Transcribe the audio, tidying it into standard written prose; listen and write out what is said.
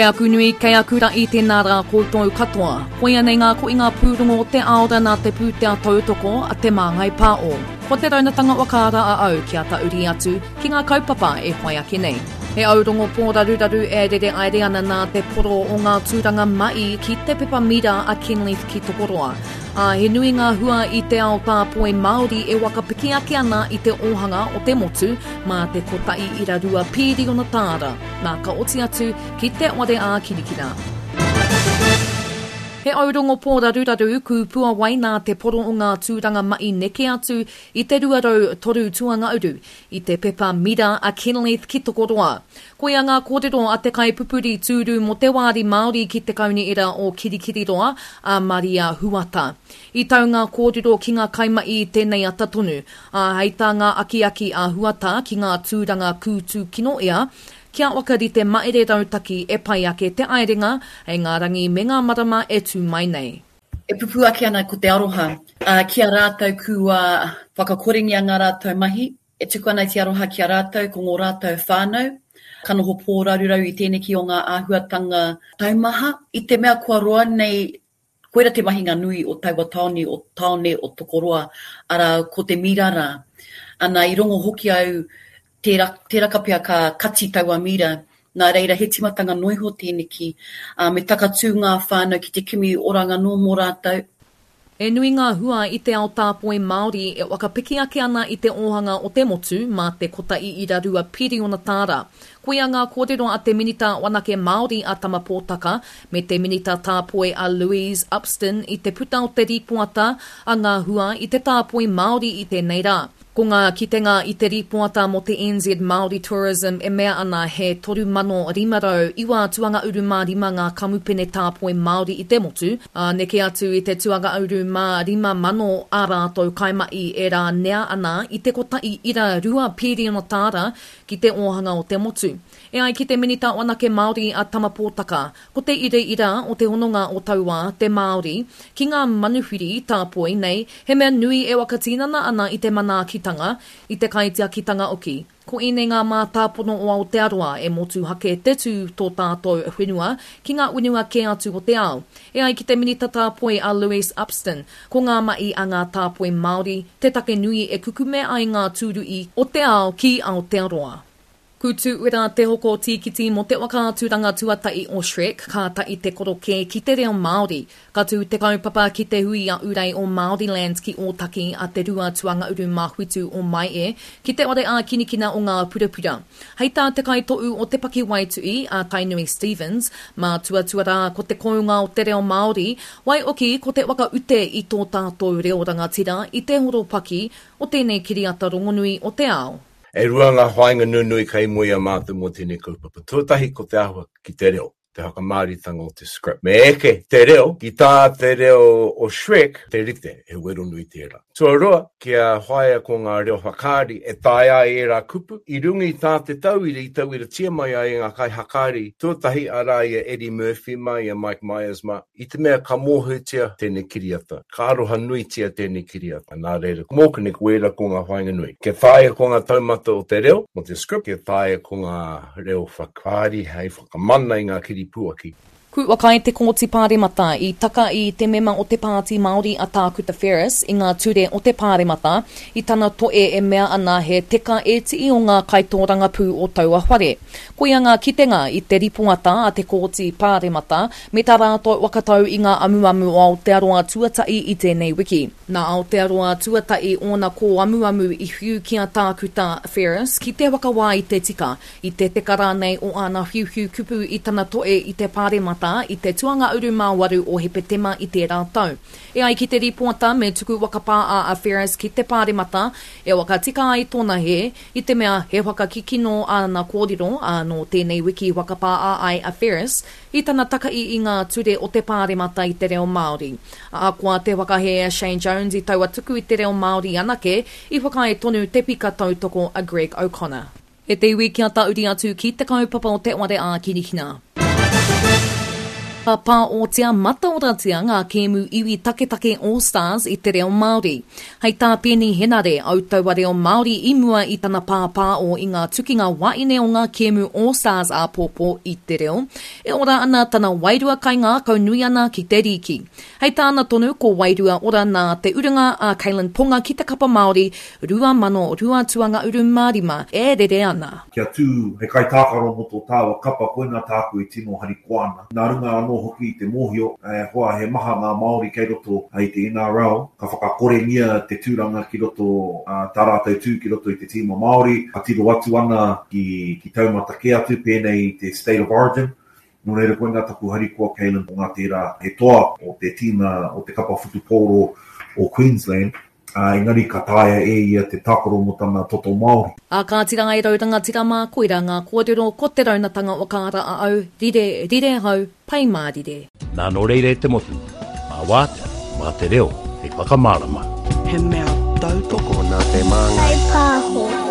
Kei aku nui, kei aku ra'i tēnā rā koutou katoa. Koia nei ngā koinga pūrongo o te aora nā te pūtea tautoko a Te Māngai Pāo. Ko te raunatanga whakaara a au kia tahuri atu ki ngā kaupapa e whai ake nei. He aurongo pōraruraru e rere aere ana nā te poro o ngā tūranga ma'i ki te pepa mira a Kenleith ki Tokoroa. Ā, he nui ngā hua i te ao tāpoi Māori e whakapiki ake ana i te ōhanga o te motu mā te kotahi ira rua pīriona tāra, nā ka oti atu ki te ware ā-kirikira. He aurongo pōraruraru kūpuawai nā te poro o ngā tūranga ma'i neke atu i te 203 tuangauru i te pepa mira a Kenleith ki Tokoroa. Koia ngā kōrero a te kaipupuri tūru mō te wāri Māori ki te Kaunihera o Kirikiriroa, a Maria Huata. I tau ngā kōrero ki ngā kaimahi i tēnei ata tonu, ā, hei tā ngā akiaki a Huata ki ngā tūranga kūtūkino ea, kia whakarite mahere rautaki e pai ake te aerenga hei ngā rangi me ngā marama e tū mai nei. E pupū ake ana ko te aroha ki a rātou kua whakakorengia ngā rātou mahi, E tuku ana i te aroha ki a rātou ko ngō rātou whānau, ka noho pōraruraru i tēneki o ngā āhuatanga taumaha, i te mea kua roa nei, koira te mahinga nui o taua tāone o tāone o Tokoroa, arā, ko te mira rā. Ana, i rongo hoki au, tērā, tēraka pea ka kati taua mira, nā reira he timatanga noa iho tēneki, ā, me takatū ngā whānau ki te kimi oranga anō mō rātou. He nui ngā hua i te ao tāpoi Māori e whakapiki ake ana i te ōhanga o te motu mā te kotahi ira rua piriona tāra. Koia ngā kōrero a te Minita Wanake Māori a Tama Potaka me te Minita Tāpoi a Louise Upston i te puta o te rīpoata a ngā hua i te tāpoi Māori i tēnei rā. Ko ngā kitenga i te rīpoata mō te NZ Māori Tourism e mea ana he 3,509 tuangauru mā rima ngā kamupene tāpoi Māori i te motu, ā, neke atu i te tuangauru mā 5,000 ā rātou kaimahi e rānea ana i te kotahi ira rua pīriona tāra ki te ōhanga o te motu. E ai ki te Minita Wanake Māori a Tama Potaka, ko te iraira o te hononga o tauā, te Māori, ki ngā manuwhiri tāpoi nei, he mea nui e whakatinana ana i te manaakitanga, i te kaitiakitanga hoki. Ko ēnei ngā mātāpono o Aotearoa e motuhake te tū tō tātou whenua ki ngā whenua kē atu o te ao. E ai ki te Minita Tāpoi a Louise Upston, ko ngā mahi a ngā tāpoi Māori te take nui e kukume ai ngā tūruhi o te ao ki Aotearoa. Kūtū-uera te hoko tīkiti mō te whakaaturanga tuatahi o Shrek, kātahi te korokē ki te reo Māori. Ka tū te kaupapa ki te hui a Urei o Māoriland ki Ōtaki a te rua tuangauru mā whitu o Maehe, ki te whare ākinikina o Ngā Purapura. Hei tā te kaitohu o te pakiwaituhi, a Tainui Stephens, mātuatua rā ko te kounga o te reo Māori, waihoki ko te whakaute i tō tātou reo rangatira i te horopaki o tēnei kiriata rongonui o te ao. E rua ngā whāinga nunui kei mua i a mātou mō tēnei kaupapa. Tuatahi ko te āhua ki te reo, te whakamāoritanga o te script. Me eke te reo ki tā te reo o Shrek te rite, he wero nui tērā. Tuarua, kia whāia ko ngā reo whakaari e taea ai ērā kupu, i runga i tā te tauira i tauiratia mai ai e ngā kaihakaari tuatahi, arā i a Eddie Murphy mā, i a Mike Myers mā, I te mea ka mōhiotia tēnei kiriata, ka aroha nuitia tēnei kiriata, nā reira, mōku nei ko ērā ko ngā whāinga nui. Kia taea ko ngā taumata o te reo, mō te script, kia taea ko ngā reo whakaari hei whakamana i ngā kiripuaki. Kua kai te Kōti Pāremata i taka i te mema o te Pāti Māori a Tākuta Ferris i ngā ture o te Pāremata i tana toe e mea ana he teka ētihi o ngā kaitōrangapū o taua whare. Koia ngā kitenga i te ripoata a te Kōti Pāremata me tā rātou whakatau i ngā amuamu o Aotearoa Tuatahi i tēnei wiki. Nā Aotearoa Tuatahi ōna kōamuamu i whiu ki a Tākuta Ferris ki te whakawā i te tika, i te teka rānei o āna whiuwhiu kupu i tana toe i te Pāremata i te tuangauru mā waru o Hepetema i tērā tau. E ai ki te rīpoata me tuku whakapāā a Ferris ki te Pāremata e whakatika ai tōna hē, I te mea he whakakikino āna kōrero, ā, nō tēnei wiki i whakapāā ai a Ferris i tana takahi i ngā ture o te Pāremata i te reo Māori. Ahakoa te whakahē a Shane Jones i taua tuku i te reo Māori anake, i whakaae tonu te pika tautoko a Greg O'Connor. E te iwi kia tahuri atu ki te kaupapa o te ware ā-kirihina. Ka pāotia mataoratia ngā kēmu iwi taketake All Stars i te reo Māori. Hei tā Peeni Henare, au taua reo Māori i mua i tana pāpāo i ngā tukinga waeine o ngā kēmu All Stars āpōpō i te reo, e ora ana tana wairua kaingākau nui ana ki te rīki. Hei tāna tonu, ko Wairua Ora nā te urunga a Kalyn Ponga ki te kapa Māori 2002 tuanga-uru-mā-rima e rere ana. Kia tū hei kaitākaro mō tō tāua kapa, koinā tāku e tino harikoa ana. Nā runga anō hoki i te mōhio, e hoa, he maha ngā Māori kei roto i te NRL, ka whakakorengia te tūranga ki roto, tā rātou tū ki roto i te tīma Māori, ka tiro atu ana ki taumata kē atu, pēnei i te State of Origin. Nō reira koinā taku harikoa Caelan Ponga tērā he toa o te tīma o te kapa whutupōro o Queensland, ā, engari ka taea e ia te tākaro mō tana toto Māori. Ā kāti rā e rau rangatira mā, koirā ngā kōrero, ko te raunatanga o ka ara a au, rire, rire hau, pai mārire. Nā nō reira e te motu, mā wātea, mā te reo hei whakamārama. He mea tautoko nā te Māngai. Pāho.